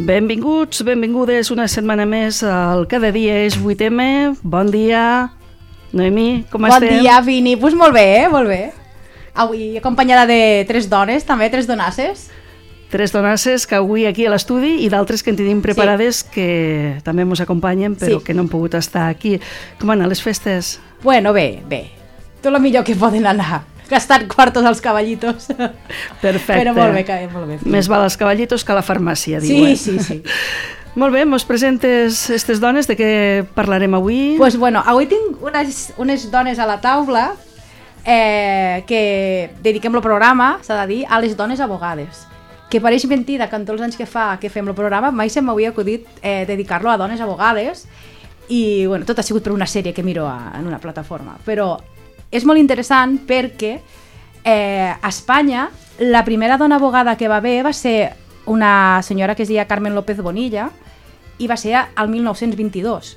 Benvinguts, benvingudes una setmana més al Cada dia és 8M. Bon dia, Noemi, com estem? Bon dia, Vini. Pues molt bé, molt bé. Avui acompanyada de 3 dones, també, 3 donasses. 3 donasses que avui aquí a l'estudi i d'altres que en tenim preparades que també ens acompanyen però que no han pogut estar aquí. Com han anat les festes? Bueno, bé. Tot el millor que poden anar. Gastant quartos als cavallitos. Perfecte. Però molt bé, molt bé. Més val als cavallitos que a la farmàcia, diu. Sí. Molt bé, mos presentes aquestes dones, de què parlarem avui? Pues bueno, avui tinc unes dones a la taula que dediquem el programa, s'ha de dir, a les dones abogades. Que pareix mentida que en tots els anys que fem el programa mai se m'havia acudit dedicar-lo a dones abogades i bueno, tot ha sigut per una sèrie que miro en una plataforma, però és molt interessant perquè a Espanya la primera dona abogada que va haver va ser una senyora que es deia Carmen López Bonilla i va ser al 1922.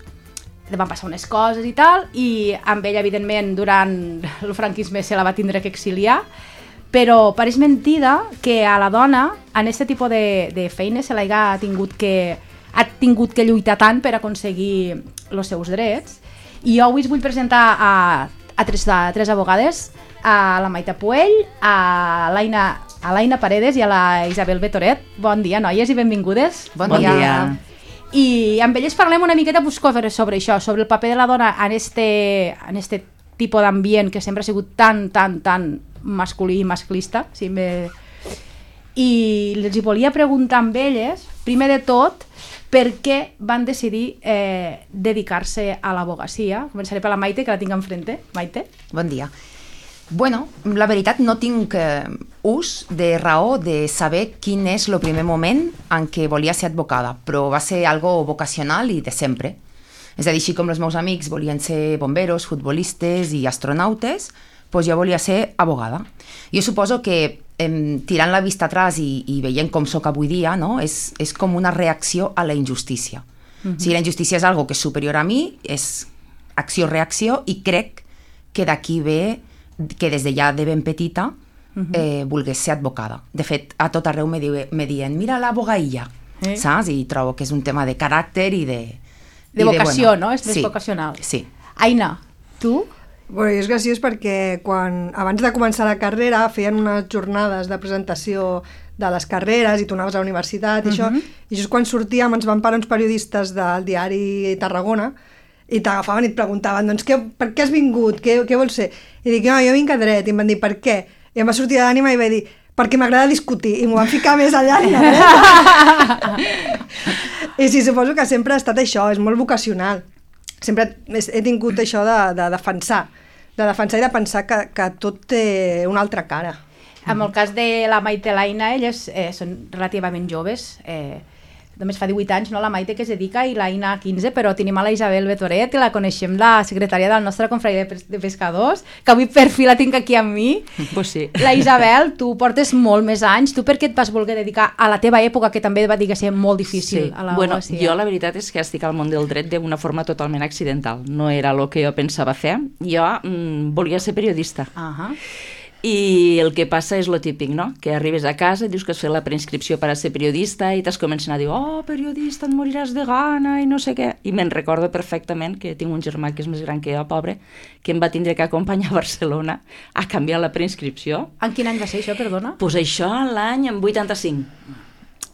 Van passar unes coses i tal i amb ella evidentment durant el franquisme se la va tindre que exiliar, però pareix mentida que a la dona en aquest tipus de feines se l'ha tingut que lluitar tant per aconseguir els seus drets. I jo avui us vull presentar a tres abogades, a la Maite Puell, a l'Aina Paredes i a la Isabel Betoret. Bon dia, noies, i benvingudes. Bon dia. I amb elles parlem una miqueta sobre això, sobre el paper de la dona en este tipus d'ambient que sempre ha sigut tan masculí i masclista. I els hi volia preguntar amb elles, primer de tot, per què van decidir dedicar-se a l'abogacia. Començaré per la Maite, que la tinc enfrente. Maite? Bon dia. Bueno, la veritat no tinc ús de raó de saber quin és el primer moment en què volia ser advocada, però va ser algo vocacional i de sempre. És a dir, així com els meus amics volien ser bomberos, futbolistes i astronautes, doncs jo volia ser abogada. Jo suposo que tirant la vista atrás i veient com sóc avui dia, no? és com una reacció a la injustícia. O sigui, la injustícia és algo que és superior a mi, és acció-reacció, i crec que d'aquí ve que des de ja de ben petita volgués ser advocada. De fet, a tot arreu me diuen, mira l'abogaïlla, saps? I trobo que és un tema de caràcter i de... De vocació, no? És més vocacional. Sí. Aina, tu? Bueno, és graciós perquè abans de començar la carrera feien unes jornades de presentació de les carreres i tu anaves a la universitat i això, i just quan sortíem ens van parar uns periodistes del diari Tarragona i t'agafaven i et preguntaven, doncs, per què has vingut? Què vols ser? I dic, no, jo vinc a dret. I em van dir, per què? I em va sortir de l'ànima i vaig dir, perquè m'agrada discutir. I m'ho van ficar més allà. I sí, suposo que sempre ha estat això, és molt vocacional. Sempre he tingut això de defensar i de pensar que tot té una altra cara. En el cas de la Maite i l'Aina, elles són relativament joves, només fa 18 anys, no, la Maite, que es dedica, i l'Aina 15, però tenim a la Isabel Betoret, que la coneixem, la secretària del nostre confraria de pescadors, que avui per fi la tinc aquí amb mi. Pues sí. La Isabel, tu portes molt més anys. Tu per què et vas voler dedicar a la teva època, que també va dir que ser molt difícil a l'abogacia? Bueno, jo la veritat és que estic al món del dret d'una forma totalment accidental. No era el que jo pensava fer. Jo volia ser periodista. I el que passa és lo típic, no? Que arribes a casa i dius que has fet la preinscripció per a ser periodista i t'has començat a dir, oh, periodista, et moriràs de gana i no sé què. I me'n recordo perfectament que tinc un germà que és més gran que jo, pobre, que em va tindre que acompanyar a Barcelona a canviar la preinscripció. En quin any va ser això, perdona? Doncs això l'any 85.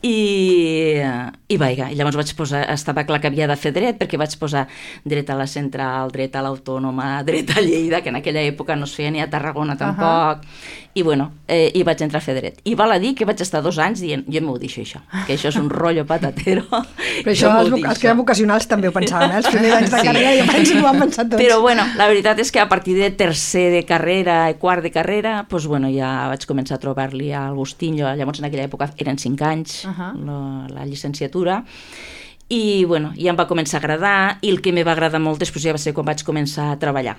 I vaja, i llavors vaig posar, estava clar que havia de fer dret, perquè vaig posar dret a la Central, dret a l'Autònoma, dret a Lleida, que en aquella època no es feia ni a Tarragona tampoc, i bueno, i vaig entrar a fer dret. I val a dir que vaig estar 2 anys dient, jo m'ho deixo això, que això és un rotllo patatero. Però això els que eren vocacionals també ho pensaven, els primers anys de carrera i abans ho han pensat tots. Però bueno, la veritat és que a partir de tercer de carrera i quart de carrera, doncs bueno, ja vaig començar a trobar-li al gustinho, llavors en aquella època eren 5 anys, la llicenciatura, i bueno, ja em va començar a agradar, i el que me va agradar molt després ja va ser quan vaig començar a treballar.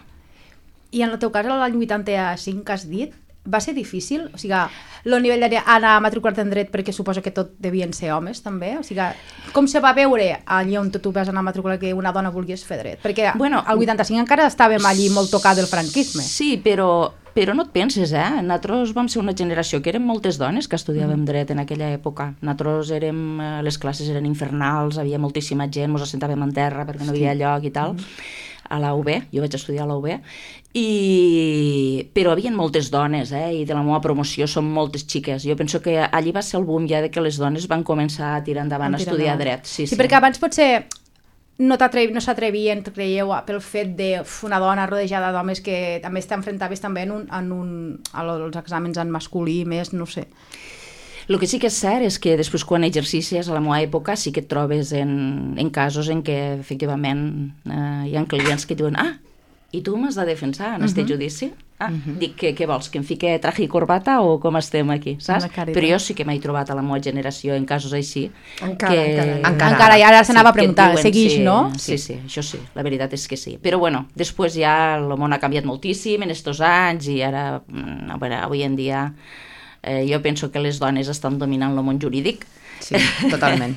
I en el teu cas, l'any 85 que has dit, va ser difícil? O sigui, el nivell d'anar a matricular-te en dret, perquè suposo que tot devien ser homes, també? O sigui, com se va veure allà on tu vas anar a matricular que una dona volgués fer dret? Perquè al 85 encara estàvem allí molt tocat del franquisme. Sí, però Però no et penses, nosaltres vam ser una generació que érem moltes dones que estudiàvem dret en aquella època. Nosaltres les classes eren infernals, havia moltíssima gent, ens assentàvem en terra perquè no hi havia lloc i tal, a la UB, jo vaig estudiar a la UB, però hi havia moltes dones, i de la meva promoció són moltes xiques. Jo penso que allí va ser el boom ja de que les dones van començar a tirar endavant a estudiar dret. Sí, perquè abans potser no s'atrevien, creieu, pel fet d'una dona rodejada d'homes que també t'enfrontaves també als exàmens en masculí més, no sé. El que sí que és cert és que després quan exercicies a la meva època sí que et trobes en casos en què efectivament hi ha clients que diuen i tu m'has de defensar en este judici? Dic, què vols, que em fique traje i corbata o com estem aquí, saps? Però jo sí que m'he trobat a la meva generació en casos així. Encara, i ara s'anava a preguntar, seguix, no? Sí, això sí, la veritat és que sí. Però bueno, després ja el món ha canviat moltíssim en estos anys i ara, avui en dia, jo penso que les dones estan dominant el món jurídic. Sí, totalment.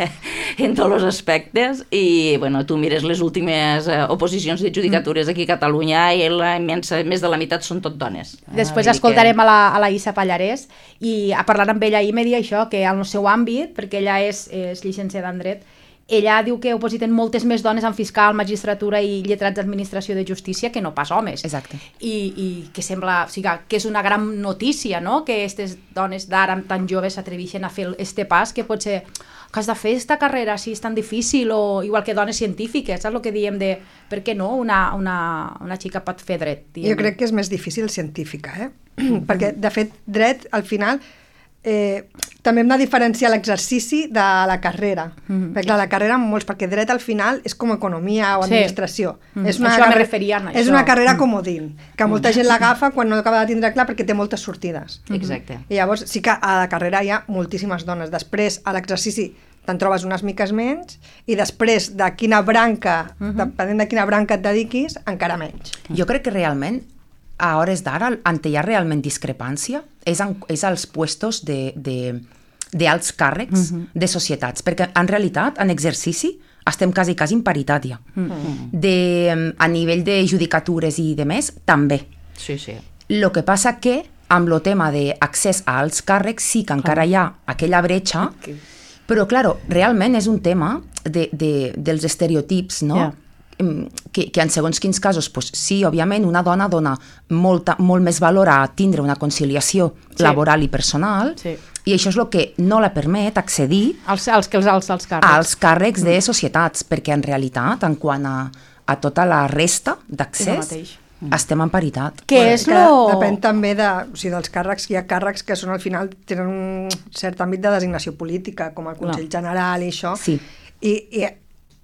En tots els aspectes, i bueno, tu mires les últimes oposicions de judicatures aquí a Catalunya i més de la meitat són tot dones. Després escoltarem a la Issa Pallarès i a parlar amb ella ahir me dia això, que al seu àmbit, perquè ella és llicenciada en dret, ella diu que opositen moltes més dones en fiscal, magistratura i lletrats d'administració de justícia que no pas homes. Exacte. I que sembla, o sigui, que és una gran notícia, no?, que aquestes dones d'ara tan joves s'atreveixen a fer este pas, que potser que has de fer aquesta carrera si és tan difícil, o igual que dones científiques, saps el que diem de per què no una xica pot fer dret? Jo crec que és més difícil científica, perquè de fet dret al final també hem de diferenciar l'exercici de la carrera. Perquè clar, la carrera perquè dret al final és com economia o administració. És una carrera comodín, que molta gent l'agafa quan no acaba de tindre clar perquè té moltes sortides. Exacte. I llavors sí que a la carrera hi ha moltíssimes dones. Després a l'exercici te'n trobes unes miques menys i després de quina branca, depenent de quina branca et dediquis, encara menys. Jo crec que realment a hores d'ara, on hi ha realment discrepància és als puestos d'alts càrrecs de societats, perquè en realitat, en exercici, estem quasi en paritària. A nivell de judicatures i de més, també. Sí. El que passa que, amb el tema d'accés a alts càrrecs, sí que encara hi ha aquella bretxa, però, clar, realment és un tema dels estereotips, no? Yeah. Que en segons quins casos, sí, òbviament, una dona dona molt més valor a tindre una conciliació laboral i personal, i això és el que no la permet accedir als càrrecs de societats, perquè en realitat, en quant a tota la resta d'accés, estem en paritat. Depèn també dels càrrecs. Hi ha càrrecs que són al final tenen un cert àmbit de designació política, com el Consell General i això, i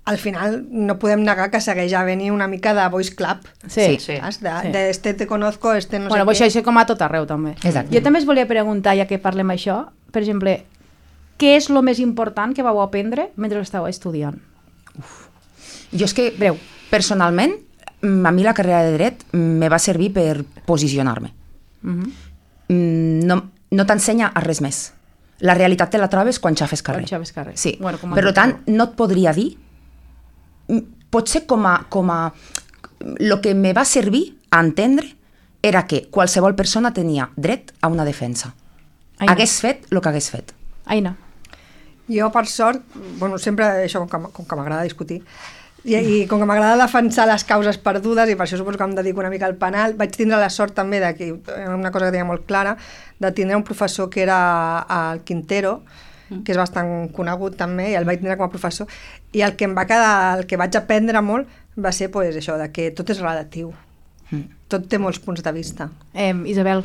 al final no podem negar que segueix havent-hi una mica de voice club. Sí. Este te conozco, este no sé què. Això és com a tot arreu, també. Exacte. Jo també es volia preguntar, ja que parlem això, per exemple, què és el més important que vau aprendre mentre estàveu estudiant? Jo és que, personalment, a mi la carrera de dret me va servir per posicionar-me. No t'ensenya a res més. La realitat te la trobes quan xafes carrer. Sí. Per tant, no et podria dir, potser com a el que me va servir a entendre era que qualsevol persona tenia dret a una defensa. Hagués fet el que hagués fet. Aina. Jo, per sort, sempre això, com que m'agrada discutir, i com que m'agrada defensar les causes perdudes, i per això suposo que em dedico una mica al penal, vaig tindre la sort també una cosa que tenia molt clara, de tindre un professor que era el Quintero, que és bastant conegut també, i el vaig tindre com a professor, i el que vaig aprendre molt va ser això, que tot és relatiu. Tot té molts punts de vista. Isabel?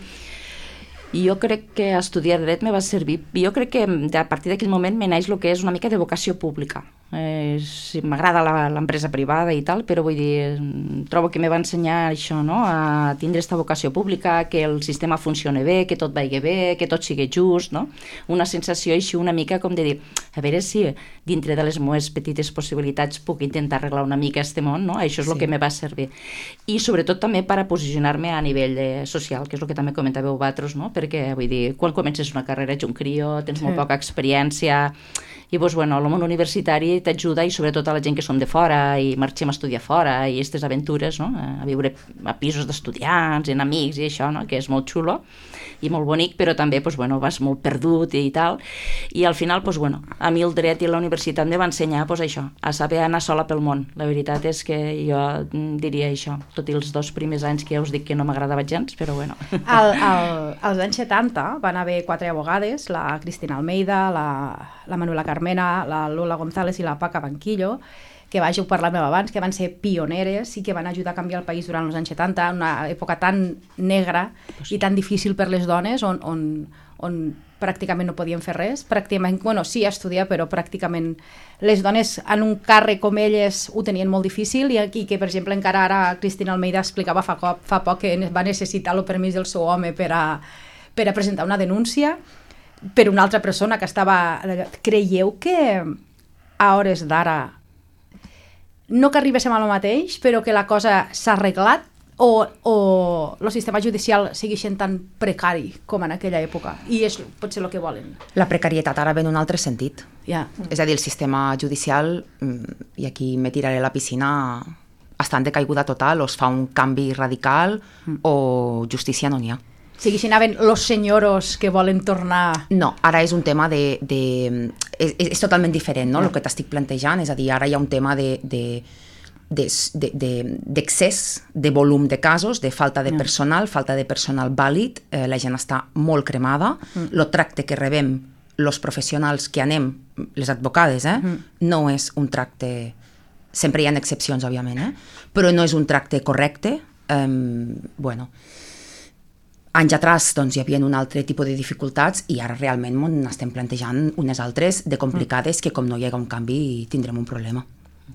Jo crec que estudiar dret me va servir. Jo crec que a partir d'aquell moment me naix el que és una mica de vocació pública. M'agrada l'empresa privada i tal, però vull dir, trobo que me va ensenyar això, no?, a tindre aquesta vocació pública, que el sistema funcioni bé, que tot vagi bé, que tot sigui just, no? Una sensació així una mica com de dir, a veure si dintre de les meves petites possibilitats puc intentar arreglar una mica este món, no? Això és el que me va servir. I sobretot també per a posicionar-me a nivell social, que és el que també comentàveu vosaltres, no? Perquè, vull dir, quan comences una carrera ets un crio, tens molt poca experiència, I doncs, bueno, el món universitari t'ajuda, i sobretot a la gent que som de fora i marxem a estudiar fora, i aquestes aventures, no? A viure a pisos d'estudiants, en amics i això, no? Que és molt xulo i molt bonic, però també doncs, bueno, vas molt perdut i tal. I al final, doncs, bueno, a mi el dret i la universitat em va ensenyar doncs, això, a saber anar sola pel món. La veritat és que jo diria això, tot i els 2 primers anys que ja us dic que no m'agradava gens, però bueno. Als anys 70 van haver 4 abogades, la Cristina Almeida, la Manuela Carmena, la Lola González i la Paca Banquillo, que ho parlàvem abans, que van ser pioneres i que van ajudar a canviar el país durant els anys 70, una època tan negra i tan difícil per les dones, on pràcticament no podien fer res, pràcticament, bueno, sí estudiar, però pràcticament les dones en un càrrec com elles ho tenien molt difícil, i que, per exemple, encara ara Cristina Almeida explicava fa poc que va necessitar el permís del seu home per a presentar una denúncia per una altra persona que estava... Creieu que a hores d'ara no que arribéssim a lo mateix, però que la cosa s'ha arreglat, o el sistema judicial sigui sent tan precari com en aquella època, i és potser el que volen? La precarietat ara ve en un altre sentit. És a dir, el sistema judicial, i aquí me tiraré a la piscina, està en decaiguda total, o es fa un canvi radical, o justícia no n'hi ha. O sigui, si anaven los senyoros que volen tornar... No, ara és un tema és totalment diferent, no?, el que t'estic plantejant, és a dir, ara hi ha un tema d'excés de volum de casos, de falta de personal vàlid, la gent està molt cremada, el tracte que rebem els professionals que anem, les advocades, no és un tracte... Sempre hi ha excepcions, òbviament, però no és un tracte correcte. Bueno... Anys atrás doncs, hi havia un altre tipus de dificultats i ara realment n'estem plantejant unes altres de complicades que com no hi haga un canvi tindrem un problema.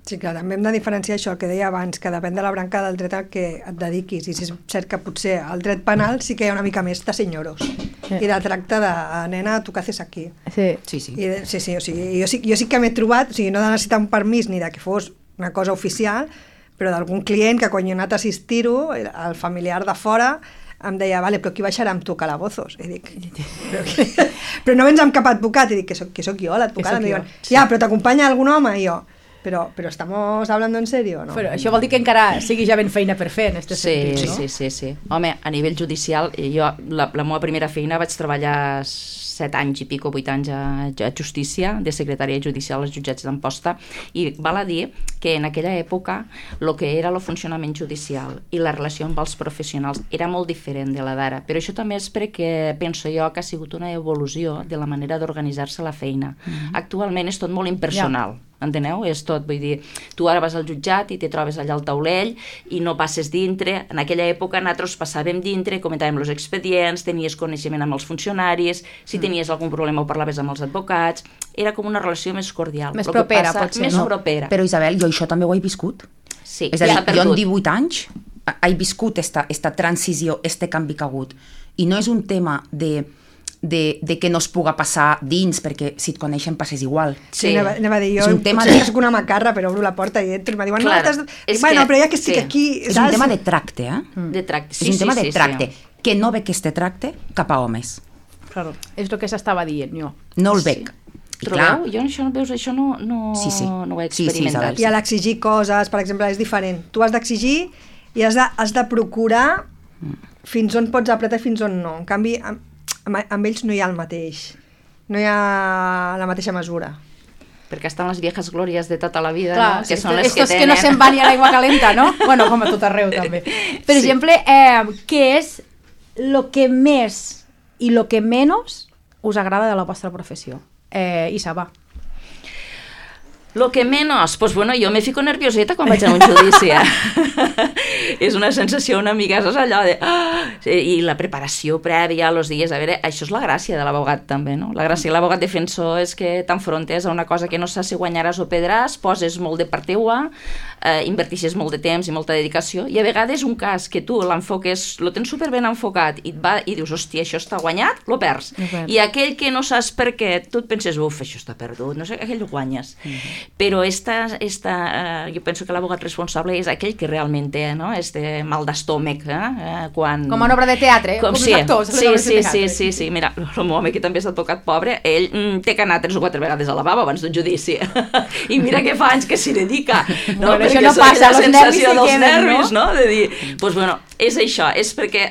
Sí, clar, també hem de diferenciar això, el que deia abans, que depèn de la branca del dret al que et dediquis, i si és cert que potser el dret penal sí que hi ha una mica més de senyoros i de tracte de nena, tu què haces aquí? Sí. O sigui, jo sí que m'he trobat, o sigui, no de necessitar un permís ni de que fos una cosa oficial, però d'algun client que quan jo he anat a assistir-ho, el familiar de fora em deia, vale, però qui baixarà amb tu calabozos? I dic, però no vens amb cap advocat? I dic, que soc jo, l'advocat. Em diuen, ja, però t'acompanya algun home? I jo, però estamos hablando en serio, no? Però això vol dir que encara sigui ja ben feina per fer, en aquest sentit, no? Sí. Home, a nivell judicial, jo, la meva primera feina vaig treballar 7 anys i pico, 8 anys a Justícia, de secretària judicial als jutjats d'Amposta, i val a dir que en aquella època el que era el funcionament judicial i la relació amb els professionals era molt diferent de la d'ara, però això també és perquè penso jo que ha sigut una evolució de la manera d'organitzar-se la feina. Actualment és tot molt impersonal. Enteneu? És tot, vull dir, tu ara vas al jutjat i te trobes allà al taulell i no passes dintre. En aquella època nosaltres passàvem dintre, comentàvem els expedients, tenies coneixement amb els funcionaris, si tenies algun problema ho parlaves amb els advocats, era com una relació més cordial. Més propera, potser, més propera. Però Isabel, jo això també ho he viscut. Sí, és a dir, jo en 18 anys he viscut esta transició, este canvi que ha hagut. I no és un tema de que no es puga passar dins, perquè si et coneixen passes igual. Sí, anava a dir, jo soc una macarra, però obro la porta i entro i me diuen, bueno, però ja que estic aquí... És un tema de tracte, De tracte, sí. És un tema de tracte, que no veig este tracte cap a homes. Claro, és el que s'estava dient jo. No el veig. Trobeu? Jo això no ho he experimentat. I a l'exigir coses, per exemple, és diferent. Tu has d'exigir i has de procurar fins on pots apretar i fins on no. En canvi, amb ells no hi ha el mateix, no hi ha la mateixa mesura. Perquè estan les viejas glòries de tota la vida, clar, no? Que són les que tenen... que no se'n van ni a l'aigua calenta, no? Bueno, com a tot arreu, també. Per exemple, què és el que més i el que menys us agrada de la vostra professió? Isaba. Lo que menos, pues bueno, jo me fico nervioseta quan vaig a un judici. És una sensació una mica, saps allò de... I la preparació prèvia, els dies, a veure, això és la gràcia de l'abogat també, no? La gràcia de l'abogat defensor és que t'enfrontes a una cosa que no saps si guanyaràs o perdràs, poses molt de part teua, invertixes molt de temps i molta dedicació, i a vegades un cas que tu l'enfoques, lo tens superben enfocat i dius, hòstia, això està guanyat, lo perds. I aquell que no saps per què, tu et penses, uf, això està perdut, no sé, aquell ho guanyes. Però jo penso que l'abogat responsable és aquell que realment té, no? este mal d'estómac, quan... Com una obra de teatre, com sí. els actors. Sí. Mira, el meu home, que també és advocat pobre, ell té que anar 3 o 4 vegades al lavabo abans d'un judici. I mira que fa anys que s'hi dedica. No? Bueno, això no passa, la sensació dels nervis, no? De dir, doncs bueno, és això, és perquè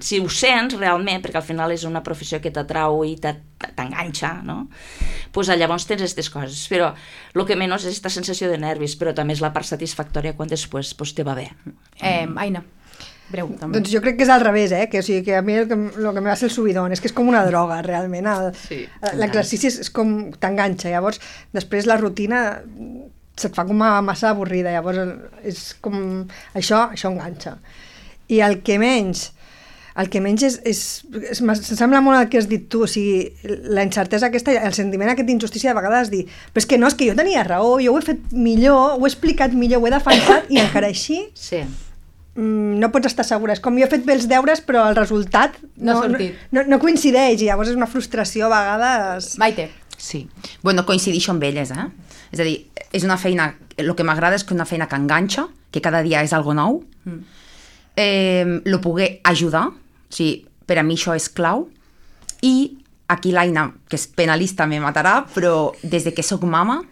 si ho sents realment, perquè al final és una professió que t'atrau i t'enganxa, no? Pues llavors tens aquestes coses, però el que menys és aquesta sensació de nervis, però també és la part satisfactòria quan després pues, te va bé. Aina, breu, també. Doncs jo crec que és al revés, que a mi el que me va ser el subidón és que és com una droga, realment. L'exercici és com t'enganxa, llavors després la rutina se't fa com massa avorrida, llavors és com això enganxa. I el que menys sembla molt el que has dit tu, o sigui, la incertesa aquesta, el sentiment aquest d'injustícia de vegades dir, però és que no, és que jo tenia raó, jo ho he fet millor, ho he explicat millor, ho he defensat i encara així no pots estar segura. És com jo he fet bé els deures però el resultat no coincideix i llavors és una frustració a vegades. Maite. Sí, bueno, coincideixo amb elles, És a dir, és una feina, el que m'agrada és que una feina que enganxa, que cada dia és algo nou, lo poder ajudar, o sigui, per a mi això és clau, i aquí l'Aina, que és penalista, me matarà, però des de que soc mama,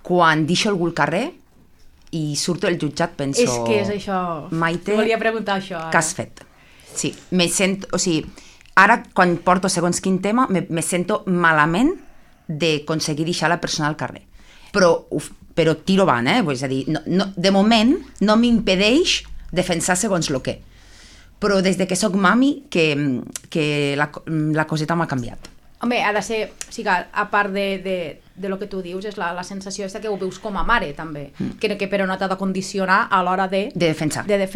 quan deixo algú al carrer i surto del jutjat penso... És que és això, Maite, volia preguntar això. Què has fet? Sí, me sento, o sigui, ara quan porto segons quin tema me sento malament d'aconseguir deixar la persona al carrer. Però tiro avant, és a dir, de moment no m'impedeix defensar segons el que. Però des que soc mami que la coseta m'ha canviat. Home, ha de ser, o sigui, a part de lo que tu dius, és la sensació que ho veus com a mare, també, que però no t'ha de condicionar a l'hora de defensar ni de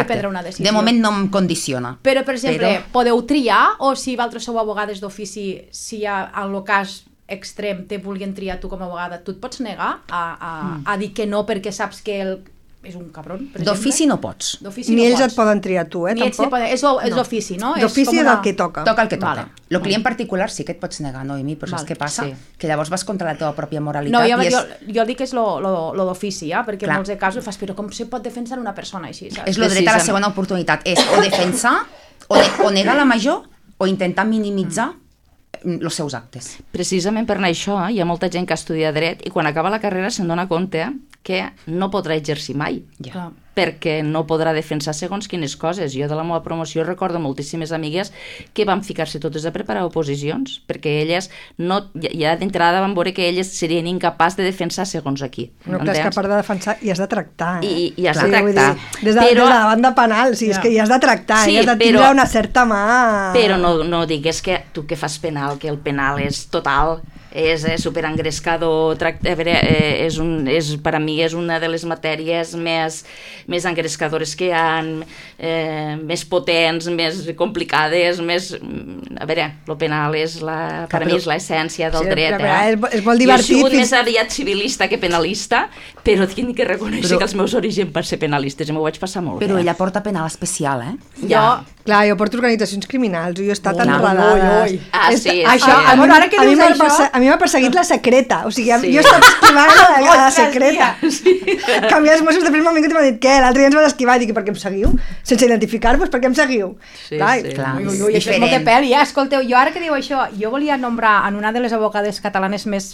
prendre una decisió. De moment no em condiciona. Però, per exemple, podeu triar, o si vosaltres sou abogades d'ofici, si en el cas extrem te vulguin triar tu com a abogada, tu et pots negar a dir que no perquè saps que és un cabron, per exemple? D'ofici no pots. Ni ells et poden triar tu, tampoc? És l'ofici, no? D'ofici és el que toca. Toca el que toca. El client particular sí que et pots negar, Noemi, però saps què passa? Que llavors vas contra la teva pròpia moralitat. No, jo dic que és lo d'ofici, perquè en molts casos fas, però com se pot defensar una persona així? És el dret a la segona oportunitat, és o defensar, o negar la major, o intentar minimitzar els seus actes. Precisament per anar això, hi ha molta gent que estudia dret i quan acaba la carrera se'n dona compte que no podrà exercir mai, perquè no podrà defensar segons quines coses. Jo de la meva promoció recordo moltíssimes amigues que van ficar-se totes a preparar oposicions, perquè elles ja d'entrada van veure que elles serien incapaces de defensar segons aquí. No, clar, és que a part de defensar hi has de tractar. I has de tractar. Des de la banda penal, és que hi has de tractar, hi has de tindre una certa mà... Però no digues que tu que fas penal, que el penal és total... és superengrescador, per a mi és una de les matèries més engrescadores que hi ha, més potents, més complicades, a veure, el penal per a mi és l'essència del dret. És molt divertit. Jo he sigut més aviat civilista que penalista, però tinc que reconèixer que els meus orígens per ser penalistes i m'ho vaig passar molt bé. Però ella porta penal especial, Clar, jo porto organitzacions criminals, jo he estat enredada. Sí. A mi m'ha perseguit la secreta, o sigui, jo he estat esquivant la secreta. Que a mi els Mossos de prima m'han dit què, l'altre dia ens vas esquivar, i dic, per què em seguiu? Sense identificar-vos, per què em seguiu? Clar, això és molt de pèl, escolteu, jo ara que diu això, jo volia nombrar en una de les abogades catalanes més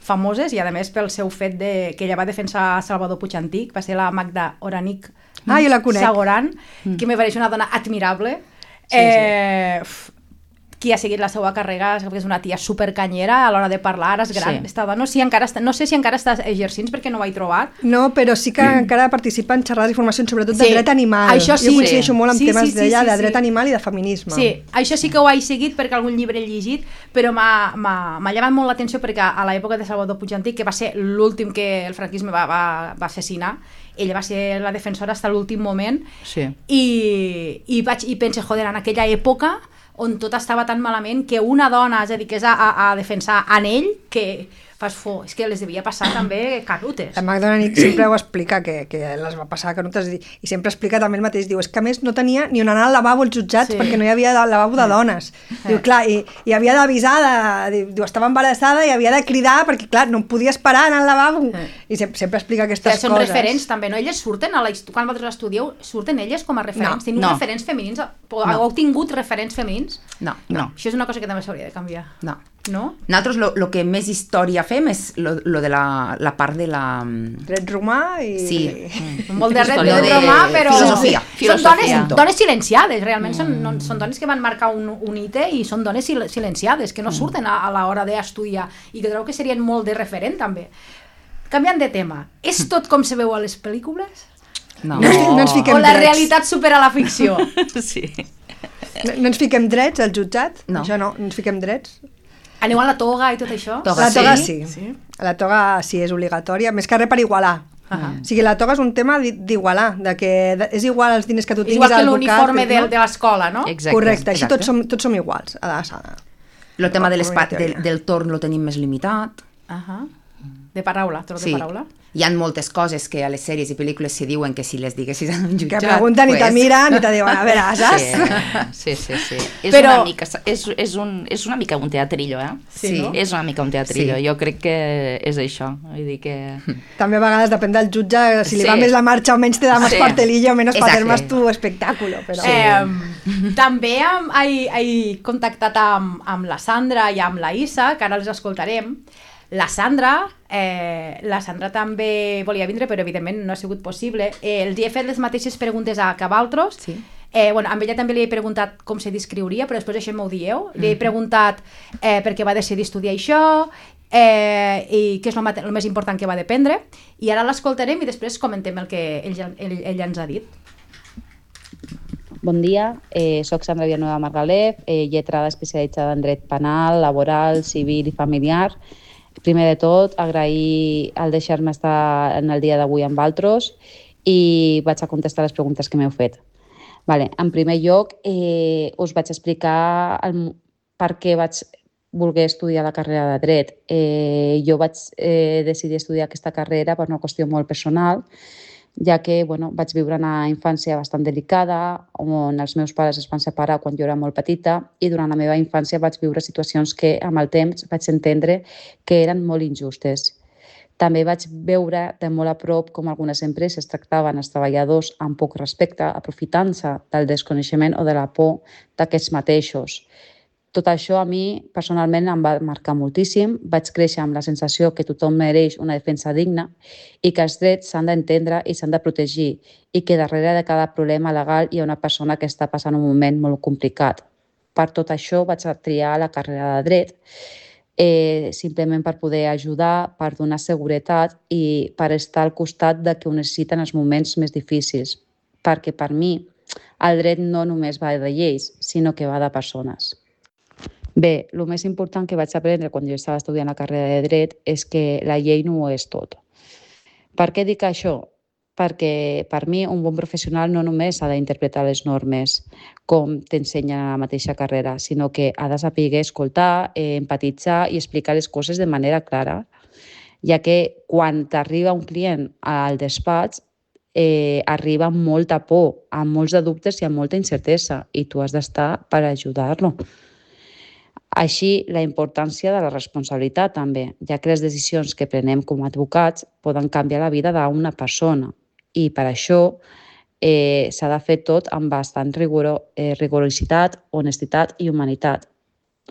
famoses, i a més pel seu fet que ella va defensar Salvador Puig-Antich, va ser la Magda Oranic Sagoran, que me pareix una dona admirable, qui ha seguit la seva carrera, és una tia supercanyera a l'hora de parlar, és gran, no sé si encara està exercint perquè no ho he trobat. No, però sí que encara participa en xerrades i formacions, sobretot de dret animal. Això sí. Jo coincideixo molt amb temes d'ella, de dret animal i de feminisme. Sí, això sí que ho he seguit perquè algun llibre he llegit, però m'ha llamat molt l'atenció perquè a l'època de Salvador Puig-Antich, que va ser l'últim que el franquisme va assassinar, ella va ser la defensora fins a l'últim moment, i penso, joder, en aquella època on tot estava tan malament que una dona es dediqués a defensar en ell que fas for. És que les devia passar també canutes. La Magda Nit sempre ho explica, que les va passar canutes, i sempre explica també el mateix. Diu, és que a més no tenia ni on anar al lavabo als jutjats, perquè no hi havia lavabo de dones. Diu, clar, i havia d'avisar, diu, estava embarassada i havia de cridar, perquè clar, no podia esperar anar al lavabo. I sempre explica aquestes coses. Són referents també, no? Elles surten, quan vosaltres estudieu, surten elles com a referents? Teniu referents femenins? Heu tingut referents femenins? No. Això és una cosa que també s'hauria de canviar. No. Nosaltres lo que més història fem és lo de la part de la... Dret romà i... Sí. Molt de dret romà, però... Filosofia. Són dones silenciades, realment. Són dones que van marcar un hite i són dones silenciades, que no surten a l'hora d'estudiar i que crec que serien molt de referent, també. Canviant de tema, és tot com se veu a les pel·lícules? No ens fiquem drets. O la drets. realitat supera la ficció? Sí. No ens fiquem drets al jutjat? No. Això no ens fiquem drets. Aneu a la toga i tot això? La toga sí. La toga sí, és obligatòria, més que res per igualar. O sigui, la toga és un tema d'igualar, que és igual els diners que tu tinguis igual que al l'uniforme de l'escola, no? Exacte. Correcte, així tots som iguals a la sala. El tema del torn lo tenim més limitat. De paraula, torn de paraula. Hi ha moltes coses que a les sèries i pel·lícules se diuen que si les diguessis en un jutjat... Que pregunten i te miren i te diuen, a veure, saps? Sí. És una mica un teatrillo, Sí. És una mica un teatrillo. Jo crec que és això. Vull dir que... També a vegades depèn del jutge, si li va més la marxa o menys te da més cartelillo o menys para hacer más tu espectáculo. Però... També he contactat amb la Sandra i amb la Isa, que ara els escoltarem. La Sandra també volia vindre, però evidentment no ha sigut possible. Els he fet les mateixes preguntes que a vosaltres. Sí. Amb ella també li he preguntat com se descriuria, però després això m'ho dieu. Li he preguntat per què va decidir estudiar això i què és el més important que va dependre. I ara l'escoltarem i després comentem el que ella ens ha dit. Bon dia, soc Sandra Villanueva Margalef, lletrada especialitzada en dret penal, laboral, civil i familiar. Primer de tot, agrair el deixar-me estar en el dia d'avui amb vosaltres i vaig a contestar les preguntes que m'heu fet. En primer lloc, us vaig explicar per què vaig voler estudiar la carrera de dret. Jo vaig decidir estudiar aquesta carrera per una qüestió molt personal, ja que vaig viure una infància bastant delicada, on els meus pares es van separar quan jo era molt petita i durant la meva infància vaig viure situacions que amb el temps vaig entendre que eren molt injustes. També vaig veure de molt a prop com algunes empreses tractaven els treballadors amb poc respecte, aprofitant-se del desconeixement o de la por d'aquests mateixos. Tot això a mi personalment em va marcar moltíssim. Vaig créixer amb la sensació que tothom mereix una defensa digna i que els drets s'han d'entendre i s'han de protegir i que darrere de cada problema legal hi ha una persona que està passant un moment molt complicat. Per tot això vaig triar la carrera de dret, simplement per poder ajudar, per donar seguretat i per estar al costat de qui ho necessiten els moments més difícils. Perquè per mi el dret no només va de lleis, sinó que va de persones. Bé, el més important que vaig aprendre quan jo estava estudiant la carrera de dret és que la llei no ho és tot. Per què dic això? Perquè per mi un bon professional no només ha d'interpretar les normes com t'ensenyen a la mateixa carrera, sinó que ha de saber escoltar, empatitzar i explicar les coses de manera clara, ja que quan t'arriba un client al despatx arriba amb molta por, amb molts de dubtes i amb molta incertesa i tu has d'estar per ajudar-lo. Així, la importància de la responsabilitat també, ja que les decisions que prenem com a advocats poden canviar la vida d'una persona i per això s'ha de fer tot amb bastant rigorositat, honestitat i humanitat.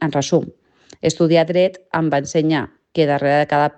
En resum, estudiar dret em va ensenyar que darrere de cada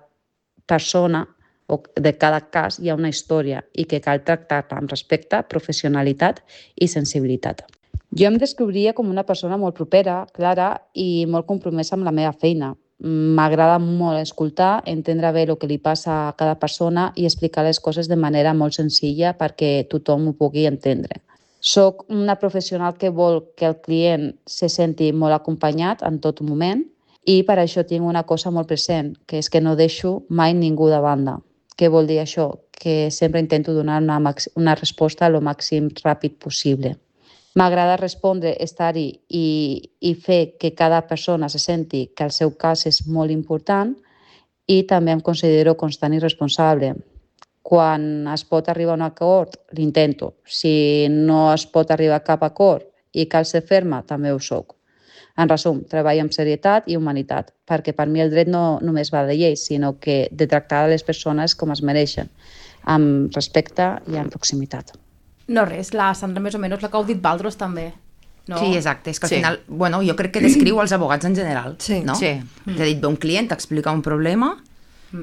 persona o de cada cas hi ha una història i que cal tractar-la amb respecte, professionalitat i sensibilitat. Jo em descriuria com una persona molt propera, clara i molt compromesa amb la meva feina. M'agrada molt escoltar, entendre bé el que li passa a cada persona i explicar les coses de manera molt senzilla perquè tothom ho pugui entendre. Soc una professional que vol que el client se senti molt acompanyat en tot moment i per això tinc una cosa molt present, que és que no deixo mai ningú de banda. Què vol dir això? Que sempre intento donar una resposta el màxim ràpid possible. M'agrada respondre, estar-hi i fer que cada persona se senti que el seu cas és molt important i també em considero constant i responsable. Quan es pot arribar a un acord, l'intento. Si no es pot arribar a cap acord i cal ser ferma, també ho soc. En resum, treballo amb serietat i humanitat, perquè per mi el dret no només va de lleis, sinó que de tractar les persones com es mereixen, amb respecte i amb proximitat. No res, la Sandra més o menys la que heu dit Valdros també. No? Sí, exacte, és que al final, bueno, jo crec que descriu els abogats en general, no? Sí. És a dir, ve un client, t'explica un problema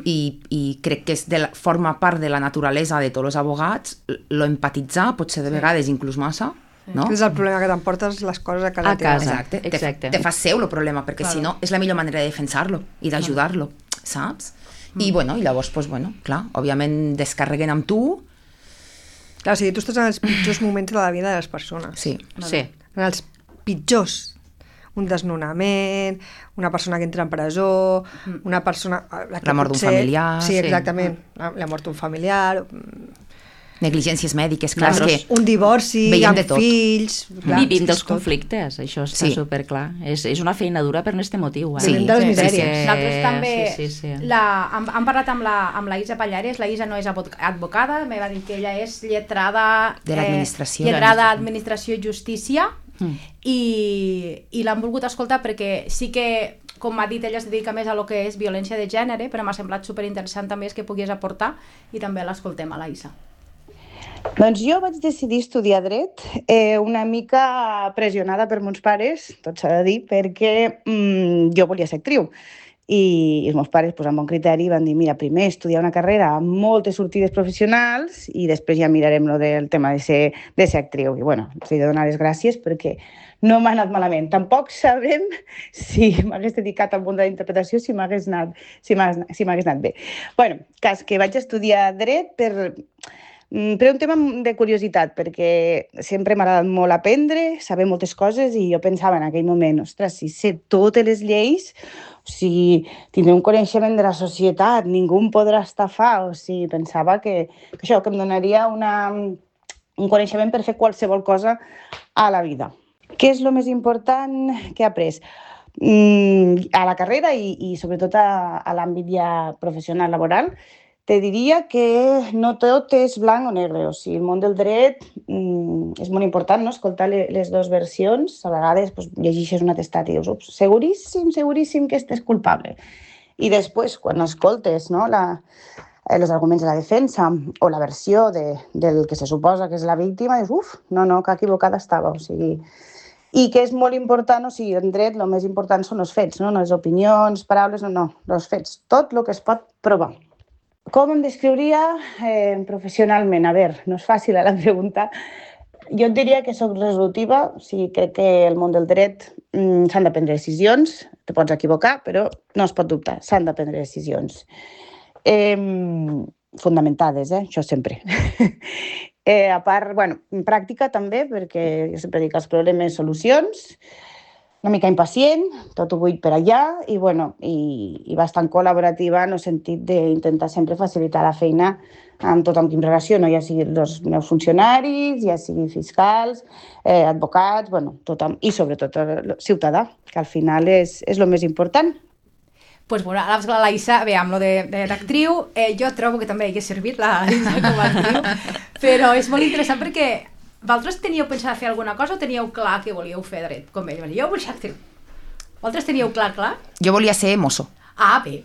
i crec que forma part de la naturalesa de tots els abogats lo empatitzar, potser de vegades inclús massa, no? És el problema, que t'emportes les coses a casa teva. Exacte. Te fas seu el problema, perquè si no és la millor manera de defensar-lo i d'ajudar-lo, saps? I bueno, i llavors, pues, bueno, clar, òbviament descarreguen amb tu. Clar, o sigui, tu estàs en els pitjors moments de la vida de les persones. Sí. En els pitjors. Un desnonament, una persona que entra en presó, una persona... La mort d'un familiar. Sí, exactament. La mort d'un familiar... Negligències mèdiques, clar, és que... Un divorci, amb fills... Vivim dels conflictes, això està superclar. És una feina dura per aquest motiu. Vivim de les misèries. Nosaltres també... Hem parlat amb la Isa Pallares, la Isa no és advocada, me va dir que ella és lletrada... De l'administració. Lletrada d'administració i justícia, i l'han volgut escoltar perquè sí que, com m'ha dit, ella es dedica més a lo que és violència de gènere, però m'ha semblat superinteressant també que pogués aportar, i també l'escoltem a la Isa. Doncs jo vaig decidir estudiar dret una mica pressionada per mons pares, tot s'ha de dir, perquè jo volia ser actriu. I els meus pares, amb bon criteri, van dir, mira, primer estudiar una carrera amb moltes sortides professionals i després ja mirarem del tema de ser actriu. I bueno, els he de donar les gràcies perquè no m'ha anat malament. Tampoc sabem si m'hagués dedicat al món de la interpretació, si m'hagués anat bé. Bueno, cas que vaig estudiar dret per un tema de curiositat, perquè sempre m'ha agradat molt aprendre, saber moltes coses, i jo pensava en aquell moment, ostres, si sé totes les lleis, o sigui, tindré un coneixement de la societat, ningú em podrà estafar, o sigui, pensava que això, que em donaria un coneixement per fer qualsevol cosa a la vida. Què és el més important que he après? A la carrera i sobretot a l'àmbit ja professional laboral, te diria que no tot és blanc o negre, o sigui, el món del dret és molt important, no? Escoltar les dues versions, a vegades llegeixes un atestat i dius, ups, seguríssim que estàs culpable. I després, quan escoltes els arguments de la defensa o la versió del que se suposa que és la víctima, dius, uf, no, que equivocada estava, o sigui... I que és molt important, o sigui, en dret el més important són els fets, no les opinions, paraules, no, els fets, tot el que es pot provar. Com em descriuria professionalment? A veure, no és fàcil la pregunta. Jo et diria que soc resolutiva, o sigui, crec que el món del dret s'han de prendre decisions, te pots equivocar, però no es pot dubtar, s'han de prendre decisions. Fundamentades, això sempre. A part, en pràctica també, perquè jo sempre dic els problemes, solucions, una mica impacient, tot ho vull per allà, i bastant col·laborativa en el sentit d'intentar sempre facilitar la feina amb tothom qui em relaciono, ja sigui els meus funcionaris, ja sigui fiscals, advocats, tothom, i sobretot el ciutadà, que al final és el més important. Pues bueno, ara la Isa, bé, amb lo de l'actriu, jo trobo que també hauria servit la Isa com a actriu, però és molt interessant perquè vosaltres teníeu pensat fer alguna cosa o teníeu clar que volíeu fer dret? Com ell, jo vull ser actriu. Vosaltres teníeu clar? Jo volia ser mosso. Ah, bé.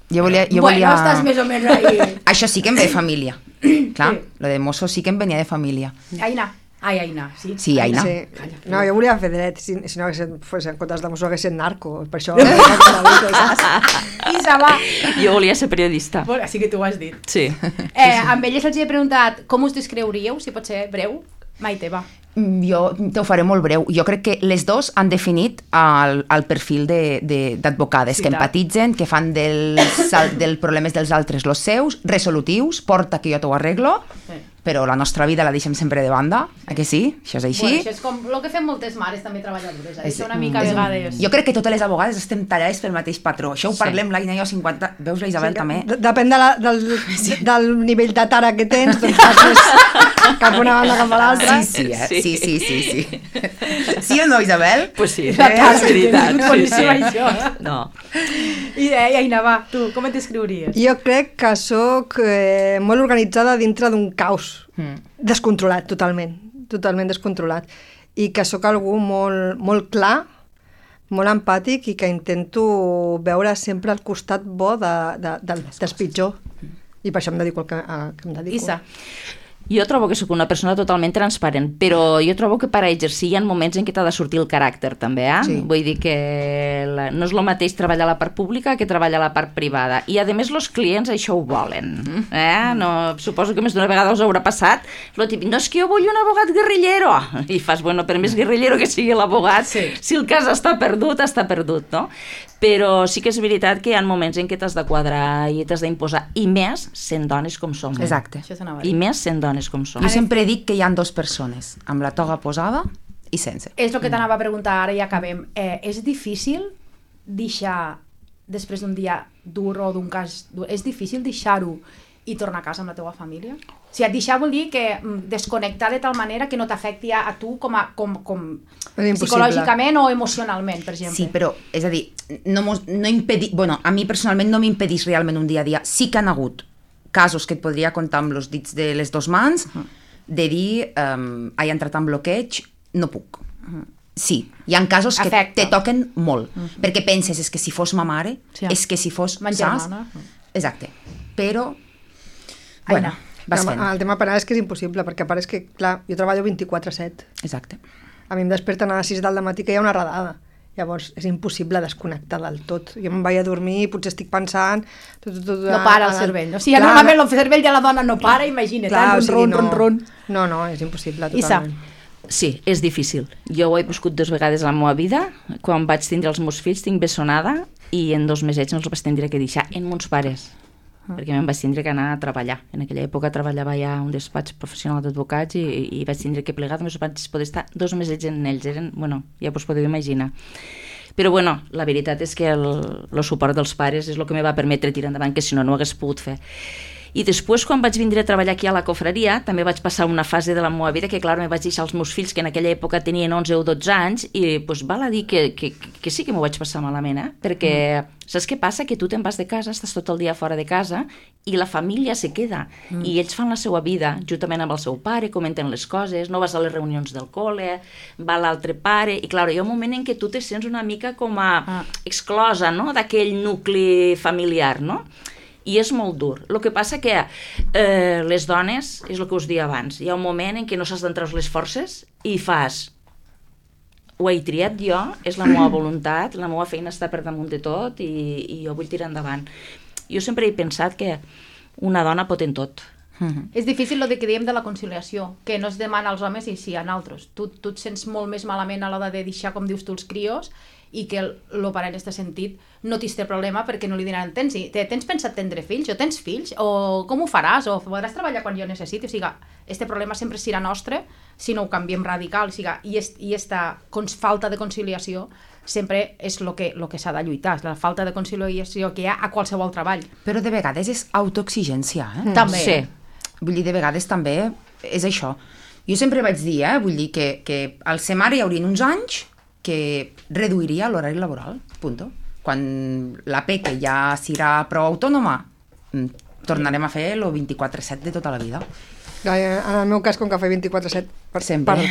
Bueno, estàs més o menys ahí. Això sí que em ve de família. Clar, lo de mosso sí que em venia de família. Aina. Aina, sí. Sí, Aina. Sí. No, jo volia fer dret, si no en comptes de mosso hagués estat narco, per això... Isa, va. Jo volia ser periodista. Així que tu ho has dit. Sí. Amb elles els he preguntat com us descriuríeu, si pot ser breu. Maite, va. Jo t'ho faré molt breu. Jo crec que les dos han definit el perfil d'advocades, que empatitzen, que fan dels problemes dels altres els seus, resolutius, porta que jo t'ho arreglo, però la nostra vida la deixem sempre de banda, que sí? Això és així. Bueno, això és com el que fem moltes mares també treballadores, això una mica a vegades... Jo crec que totes les abogades estem tallades pel mateix patró. Això ho parlem l'Aina i jo 50... Veus la Isabel també? Depèn del nivell de tara que tens, doncs passes cap una banda cap a l'altra. Sí. Sí o no, Isabel? Pues sí, és veritat. No. I Aina, va, tu, com et descriuries? Jo crec que sóc molt organitzada dintre d'un caos descontrolat, totalment descontrolat, i que sóc algú molt clar, molt empàtic i que intento veure sempre al costat bo del pitjor, i per això em dedico al que em dedico. Isa. Jo trobo que sóc una persona totalment transparent, però jo trobo que per a exercir hi ha moments en què t'ha de sortir el caràcter, també, eh? Sí. Vull dir que no és el mateix treballar a la part pública que treballar a la part privada. I, a més, els clients això ho volen. No, suposo que més d'una vegada us haurà passat lo típic, no, és que jo vull un abogat guerrillero. I fas, bueno, per més guerrillero que sigui l'abogat, si el cas està perdut, no? Però sí que és veritat que hi ha moments en què t'has de quadrar i t'has d'imposar, i més sent dones com som. Exacte. I més sent dones com som. Jo sempre dic que hi ha 2 persones, amb la toga posada i sense. És el que t'anava a preguntar, ara ja acabem. És difícil deixar, després d'un dia dur o d'un cas dur, és difícil deixar-ho i tornar a casa amb la teva família? O sigui, deixar vol dir que desconnectar de tal manera que no t'afecti a tu com psicològicament o emocionalment, per exemple. Sí, però, és a dir, a mi personalment no m'impedís realment un dia a dia. Sí que han hagut casos que et podria contar amb els dits de les 2 mans, de dir, he entrat en bloqueig, no puc. Sí, hi ha casos que te toquen molt, perquè penses, és que si fos ma mare, és que si fos... Ma germana. Exacte, però... Bueno, vas fent. El tema penal és que és impossible, perquè a part és que, clar, jo treballo 24/7. Exacte. A mi em desperten a les 6 del matí que hi ha una redada. Llavors, és impossible desconnectar del tot. Jo me'n vaig a dormir i potser estic pensant... No para el cervell. O sigui, normalment el cervell de la dona no para, imagina't, ron. No, és impossible, totalment. Sí, és difícil. Jo ho he viscut 2 vegades a la meva vida. Quan vaig tindre els meus fills, tinc bessonada, i en 2 mesets no els vaig tindre que deixar en mons pares, perquè me'n vaig tindre que anar a treballar. En aquella època treballava ja a un despatx professional d'advocats i vaig tindre que plegar, només vaig poder estar 2 mesets en ells. Bueno, ja us podeu imaginar. Però bueno, la veritat és que el suport dels pares és el que me va permetre tirar endavant, que si no, no ho hagués pogut fer. I després, quan vaig vindre a treballar aquí a la cofreria, també vaig passar una fase de la meva vida que, clar, me vaig deixar els meus fills, que en aquella època tenien 11 o 12 anys, i doncs val a dir que sí que m'ho vaig passar malament, perquè saps què passa? Que tu te'n vas de casa, estàs tot el dia fora de casa, i la família se queda, i ells fan la seva vida, juntament amb el seu pare, comenten les coses, no vas a les reunions del col·le, va l'altre pare, i clar, hi ha un moment en què tu te sents una mica com a exclosa, no?, d'aquell nucli familiar, no?, i és molt dur. El que passa que les dones, és el que us deia abans, hi ha un moment en què no saps d'entrar les forces i fas, ho he triat jo, és la meva voluntat, la meva feina està per damunt de tot i jo vull tirar endavant. Jo sempre he pensat que una dona pot en tot. És difícil el que diem de la conciliació, que no es demana als homes i sí a altres. Tu et sents molt més malament a l'hora de deixar, com dius tu, els crios, i que el pare en aquest sentit no tindrà problema perquè no li diran tens pensat tindre fills o tens fills o com ho faràs o podràs treballar quan jo necessiti, o sigui, este problema sempre serà nostre si no ho canviem radical, o sigui, i esta falta de conciliació sempre és el que s'ha de lluitar, la falta de conciliació que hi ha a qualsevol treball. Però de vegades és autoexigència, També. Sí. Vull dir, de vegades també és això. Jo sempre vaig dir, vull dir que al ser mare hi haurien uns anys que reduiria l'horari laboral, punto. Quan la Peque ja serà prou autònoma, tornarem a fer el 24/7 de tota la vida. En el meu cas, com que faig 24/7,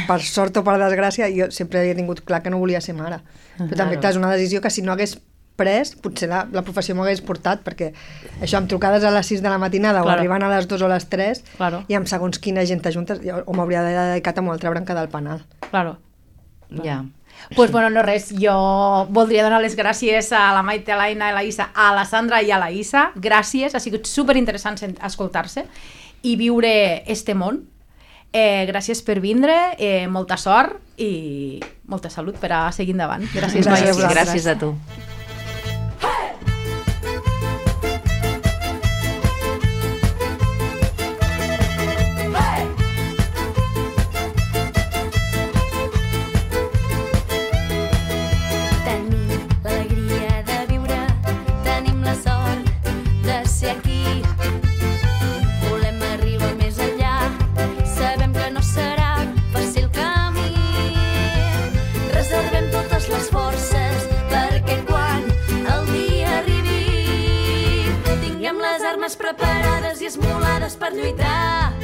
per sort o per desgràcia, jo sempre he tingut clar que no volia ser mare. Però també, clar, és una decisió que si no hagués pres, potser la professió m'ho hagués portat, perquè això, amb trucades a les 6 de la matinada o arribant a les 2 o les 3, i amb segons quina gent t'ajuntes, o m'hauria dedicat a una altra branca del penal. Claro. Ja. Pues bueno, no res, jo voldria donar les gràcies a la Maite, a l'Aina, a la Isa, a la Sandra i a la Isa. Gràcies, ha sigut superinteressant escoltar-se i viure este món. Gràcies per vindre, molta sort i molta salut per a seguir endavant. Gràcies a vosaltres. Gràcies a tu. Hey! dones preparades i esmolades per lluitar.